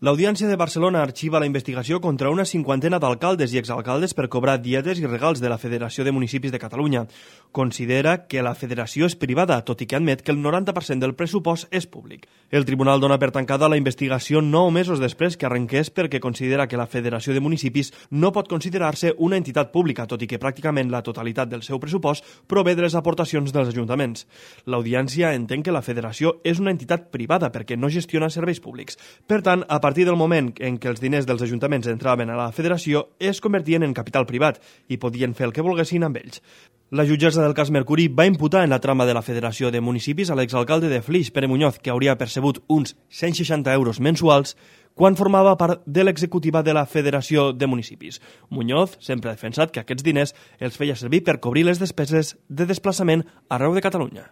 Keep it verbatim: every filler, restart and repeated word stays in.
L'Audiència de Barcelona arxiva la investigació contra una cinquantena d'alcaldes i exalcaldes per cobrar dietes i regals de la Federació de Municipis de Catalunya. Considera que la federació és privada, tot i que admet que el noranta per cent del pressupost és públic. El tribunal dona per tancada la investigació nou mesos després que arrenqués perquè considera que la Federació de Municipis no pot considerar-se una entitat pública, tot i que pràcticament la totalitat del seu pressupost prové de les aportacions dels ajuntaments. L'Audiència entén que la federació és una entitat privada perquè no gestiona serveis públics. Per tant, a A partir del moment en què els diners dels ajuntaments entraven a la federació, es convertien en capital privat i podien fer el que volguessin amb ells. La jutgessa del cas Mercuri va imputar en la trama de la Federació de Municipis a l'exalcalde de Flix, Pere Muñoz, que hauria percebut uns cent seixanta euros mensuals quan formava part de l'executiva de la Federació de Municipis. Muñoz sempre ha defensat que aquests diners els feia servir per cobrir les despeses de desplaçament arreu de Catalunya.